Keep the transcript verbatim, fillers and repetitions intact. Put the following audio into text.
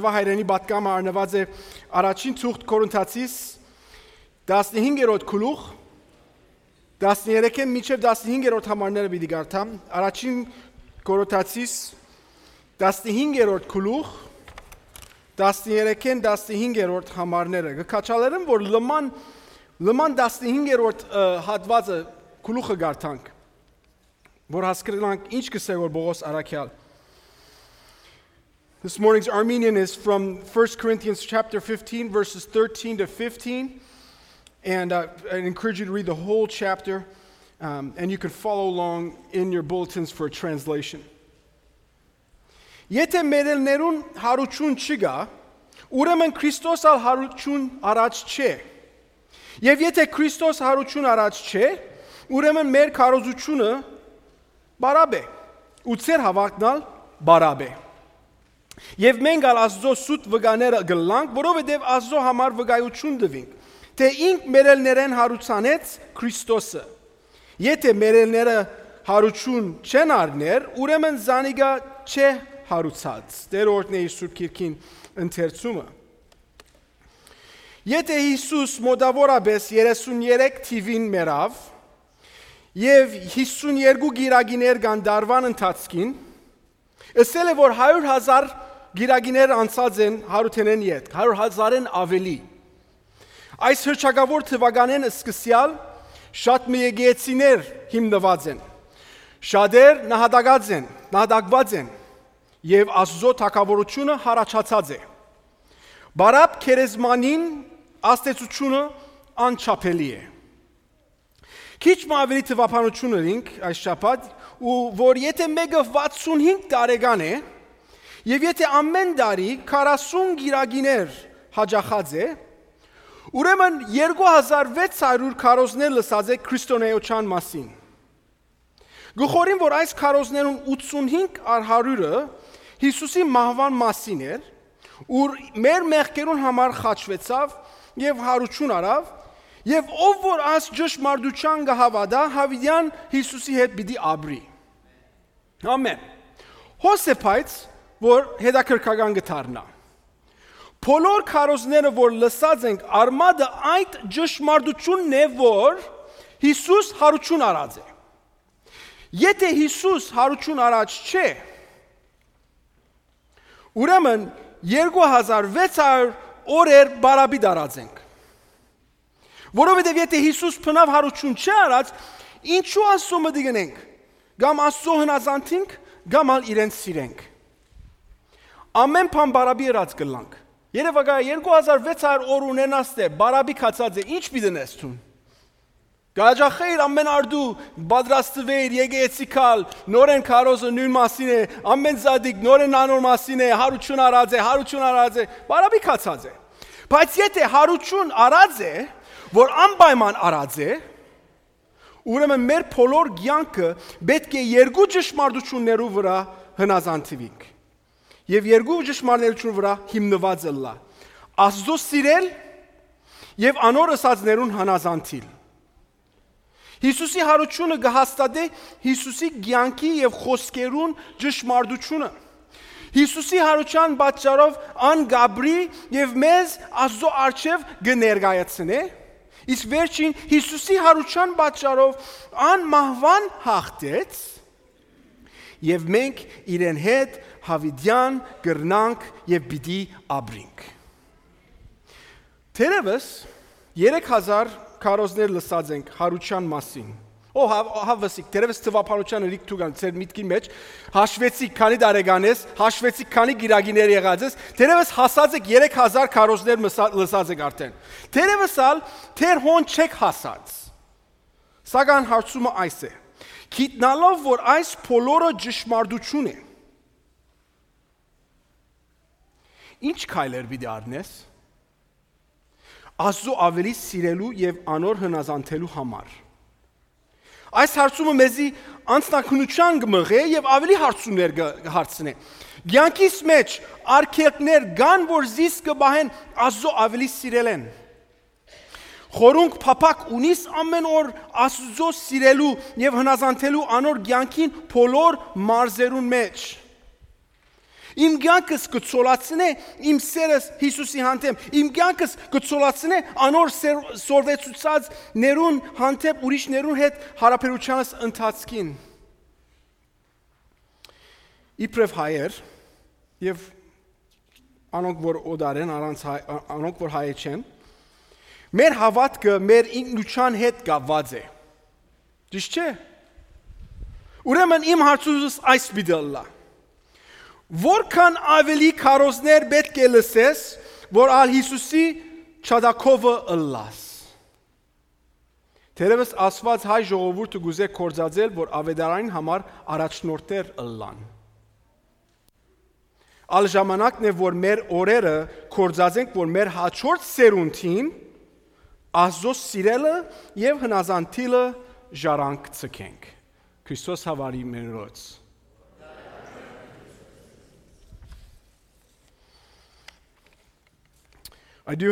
Հայրենի պատգամը առնուած է առաջին թուղթ Կորինթացիս տասնհինգերորդ գլուխ, տասներեքէն մինչեւ տասնհինգերորդ համարները պիտի կարդամ։ Առաջին Կորինթացիս տասնհինգերորդ գլուխ, տասներեքէն տասնհինգերորդ համարները։ Կը քաջալերեմ, որ լման, լման տասնհինգերորդ, ը, հատուածը, գլուխը կարդանք, որ հասկնանք ինչ կ'ըսէ որ Պողոս առաքեալ։ This morning's Armenian is from First Corinthians chapter fifteen, verses thirteen to fifteen. And, uh, I encourage you to read the whole chapter, um, and you can follow along in your bulletins for a translation. Եթէ մեռելներուն յարութիւն չկայ, ուրեմն Քրիստոս ալ յարութիւն առած չէ։ Եւ եթէ Քրիստոս յարութիւն առած չէ, ուրեմն մեր քարոզութիւնը բարապ է, ու ձեր հաւատքն ալ բարապ է։ Եւ մենք ալ Աստուծոյ սուտ վկաները կ'ըլլանք, որովհետեւ Աստուծոյ համար վկայութիւն տուինք, թէ ինք մեռելներէն յարուցանեց Քրիստոսը։ Եթէ մեռելները յարութիւն չեն առներ, ուրեմն զանիկա չէ յարուցած։ Տէր օրհնէ իր Սուրբ Գիրքին ընթերցումը։ Եթէ Յիսուս մօտաւորապէս երեսուն երեք թիւին մեռաւ եւ յիսուն երկու կիրակիներ կան տարուան ընթացքին, ըսել է որ հարիւր հազար կիրակիներ անցած են յարութենէն ետք, հարիւր հազարէն աւելի։ Այս հռչակաւոր թուականէն սկսեալ շատ մը եկեղեցիներ հիմնուած են, շատեր նահատակած են, նահատակուած են, եւ Աստուծոյ թագաւորութիւնը յառաջացած է։ Բարապ գերեզմանին ազդեցութիւնը անչափելի է։ Քիչ մը աւելի թուափանութիւն ըրինք այս շաբաթ, ու որ եթէ մէկը վաթսուն հինգ տարեկան է, եւ եթէ ամէն տարի քառասուն կիրակիներ յաճախած է, ուրեմն երկու հազար վեց հարիւր քարոզներ լսած է քրիստոնէութեան մասին։ Կը խորին որ այս քարոզներուն ութսուն հինգ առ հարիւրը Յիսուսի մահուան մասին էր, ուր մեր մեղքերուն համար խաչուեցաւ եւ յարութիւն առաւ, եւ ով որ այս ճշմարտութեան կը հաւատայ, յաւիտեան Յիսուսի հետ պիտի ապրի։ Ամէն։ Հոս է, բայց որ հետաքրքրական կը դառնայ։ Բոլոր քարոզները որ լսած ենք, արմատը այդ ճշմարտութիւնն է, որ Յիսուս յարութիւն առած է։ Եթէ Յիսուս յարութիւն առած չէ, ուրեմն երկու հազար վեց հարիւր օրեր բարապի դարած ենք։ Որովհետեւ եթէ Յիսուս բնաւ յարութիւն չէ առած, ինչու Աստուծոյ մտիկ ընենք, կամ Աստուծոյ հնազանդ ենք, կամ ալ իրեն սիրենք։ Ամէն բան բարապի ըրած կ'ըլլանք։ Երեւակայ երկու հազար վեց հարիւր օր ունենաս թէ բարապի գացած է, ինչ պիտի ընես դուն։ Կ'աճախէիր ամէն արտու, պատրաստուէիր եկեղեցի գալ, նորէն քարոզը նոյն մասին է, ամէն զատիկ նորէն անոր մասին է, յարութիւն առած է, յարութիւն առած է, բարապի գացած է։ Բայց եթէ յարութիւն առած է, որ անպայման առած է, ուրեմն մեր բոլոր կեանքը պէտք է երկու ճշմարտութիւններու վրայ հնազանդուինք եւ երկու ճշմարտութիւններու վրայ հիմնուած ըլլայ. Աստուծոյ սիրել եւ անոր ըսածներուն հնազանդիլ։ Յիսուսի յարութիւնը կը հաստատէ Յիսուսի կեանքի եւ խօսքերուն ճշմարտութիւնը։ Յիսուսի յարութեան պատճառով ան կ'ապրի եւ մեզ Աստուծոյ առջեւ կը ներկայացնէ, իսկ վերջին Յիսուսի յարութեան պատճառով ան մահուան յաղթեց, եւ մենք իրեն հետ յաւիտեան կրնանք եւ պիտի ապրինք։ Թերեւս երեք հազար քարոզներ լսած ենք յարութեան մասին։ Ո, հա-, հա-, վսիկ, թերեւս թուափանութեան ըրիք դուք ալ ձեր միտքին մեջ, հաշվեցիք քանի տարեկան ես, հաշվեցիք քանի կիրակիներ եղած ես, թերեւս հասած եք երեք հազար քարոզներ մսա-, լսած եք արդեն։ Թերեւս ալ թեր հոն չեք հասած։ Սակայն հարցումը այս է. գիտնալով որ այս բոլորը ճշմարտութիւն է, ինչ քայլեր պիտի առնես Աստուծոյ աւելի սիրելու եւ անոր հնազանդելու համար։ Այս հարցումը մեզի անձնագնության կը մղէ եւ աւելի հարցումներ կը, կը հարցնէ։ Կեանքիս մեջ արգելքներ կան, որ զիս կը պահեն Աստուծոյ աւելի սիրելէն։ Խորունկ փափաք ունիս ամէն օր Աստուծոյ սիրելու եւ հնազանդելու անոր կեանքին բոլոր մարզերուն մեջ։ Իմ կեանքս կը ցոլացնէ իմ սերս Յիսուսի հանդէպ։ Իմ կեանքս կը ցոլացնէ անոր սեր-, սորվեցուցածներուն հանդէպ ուրիշներուն հետ յարաբերութեանս ընթացքին։ Իբրեւ հայեր եւ անոնք, որ օտար են, առանց հայ-, ա-, անոնք, որ հայ չեն, մեր հաւատքը մեր ինքնութեան հետ կապուած է։ Ճիշդ չէ՞։ Ուրեմն իմ հարցումս այս պիտի ըլլայ. որքան աւելի քարոզներ պէտք է լսես, որ ալ Յիսուսի ջատագովը ըլլաս։ Թերեւս Աստուած հայ ժողովուրդը կ'ուզէ գործածել, որ աւետարանին համար առաջնորդներ ըլլան։ Ալ ժամանակն է, որ մեր օրերը գործածենք, որ մեր հաջորդ սերունդին Աստուծոյ սիրելը եւ հնազանդիլը ժառանգ ձգենք։ Քրիստոս հաւարի մերոց։ I do